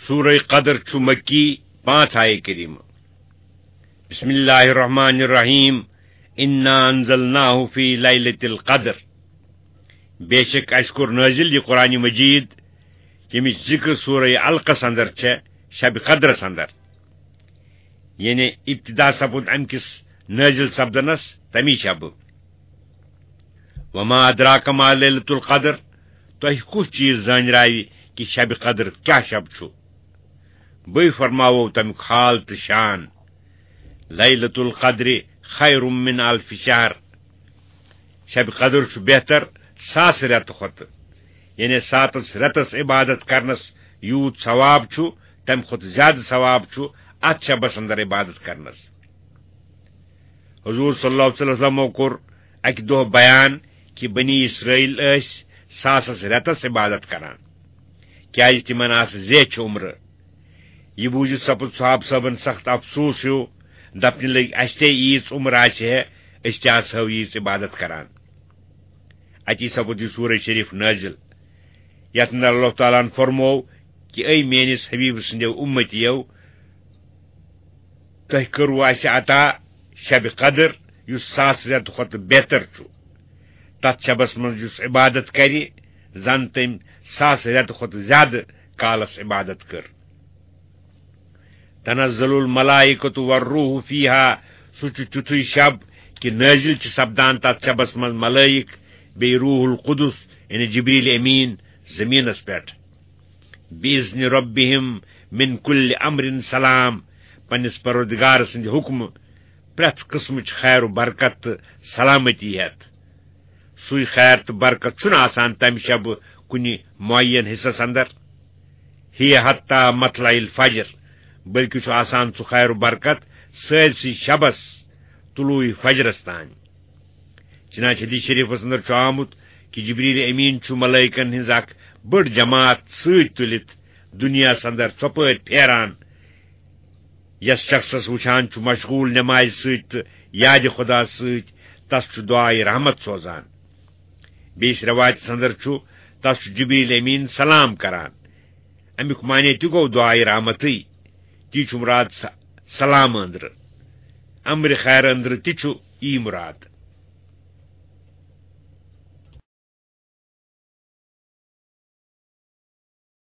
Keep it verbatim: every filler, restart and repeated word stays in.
سورہ قدر چھُ مکی، پانٛژھ آیے کریمہ۔ بسم اللہ الرحمن الرحیم۔ انا انزلناہ فی لیلۃ القدر۔ بے شک اَسہِ کوٚر نٲزِل یہِ قرآن مجید، ییٚمِچ ذکر سورہ علقس اندر چھےٚ، شب قدرس اندر۔ یعنی ابتدا سپُد امہِ کِس نٲزِل سپدنس تمی شبہٕ۔ وما ادراک ما لیلۃ القدر، تۄہہِ کُس چیز زانراوِ کہِ شب قدر کیاہ شب چھُ؟ بٕے فرماوو تمیُک حال تہٕ شان۔ لیلۃ القدر خیر من الف شہر۔ شب قدر چھُ بہتر ساس رٮ۪تہٕ کھۄتہٕ۔ یعنی ساتس رٮ۪تس عبادت کرنس یوٗت ثواب چھُ، تمہِ کھۄتہٕ زیادٕ ثواب چھُ اتھ شبس اندر عبادت کرنس۔ حضور صلی اللہ علیہ وسلمو کوٚر اکہِ دۄہ بیان کہِ بنی اسرائیل ٲسۍ ساسس رٮ۪تس عبادت کران، کیازِ تِمن آسہٕ زیچھِ عمرٕ۔ یہِ بوٗزِتھ سپُد صحابہٕ صٲبن سخت افسوس ہیوٗ۔ دپنہِ لٔگۍ، اسہِ تہِ ییٖژ عمر آسہِ ہے، أسۍ تہِ آسہو ییٖژ عبادت کران۔ اتی سپُد یہِ سورہ شریف نٲزِل، یتھ اندر اللہ تعالیٰ ہن فرموو کہِ اے میٲنِس حبیب سٕنٛدیو اُمتیو، تۄہہِ کٔروٕ اسہِ عطا شب قدر، یُس ساس رٮ۪تہٕ کھۄتہٕ بہتر چھُ۔ تتھ شبس منٛز یُس عبادت کرِ، زن تٔمۍ ساس رٮ۪تہٕ کھۄتہٕ زیادٕ کالس عبادت کٔر۔ تنزل الملائکۃ والروح فیہا، سُہ چھُ تیُتھُے شب کہِ نٲزِل چھِ سپدان تتھ شبس منٛز ملائک، بیٚیہِ روح القدس، یعنی جبریل امین، زمینس پٮ۪ٹھ۔ باذن ربہم من کل امر سلام، پننِس پروردگار سٕنٛدِ حکمہٕ پرٛٮ۪تھ قٕسمٕچ خیر و برکت تہٕ سلامتی ہٮ۪تھ۔ سُے خیر تہٕ برکت چھُنہٕ آسان تمہِ شبہٕ کُنہِ معین حصس اندر۔ ہی حتی مطلع الفجر، بلکہ چھُ آسان سُہ خیر و برکت سٲرسٕے شبس طلوع فجرس تام۔ چنانچہ حدیث شریفس اندر چھُ آمُت کہ جبریل امین چھُ ملائکن ہٕنٛز اکھ بٔڑ جماعت سۭتۍ تُلِتھ دُنیاہس اندر ژۄپٲرۍ پھیران۔ یس شخصس وٕچھان چھُ مشغول نمازِ سۭتۍ تہٕ یادِ خدا سۭتۍ، تس چھُ دعائے رحمت سوزان۔ بیٚیِس روایتس اندر چھُ، تس چھُ جبریل امین سلام کران۔ امیُک معنی تہِ گوٚو دعائے رحمتٕے۔ تی چھُ مراد س-، سلام أنٛدرٕ۔ امرِ خیر أنٛدرٕ تہِ چھُ یی مراد۔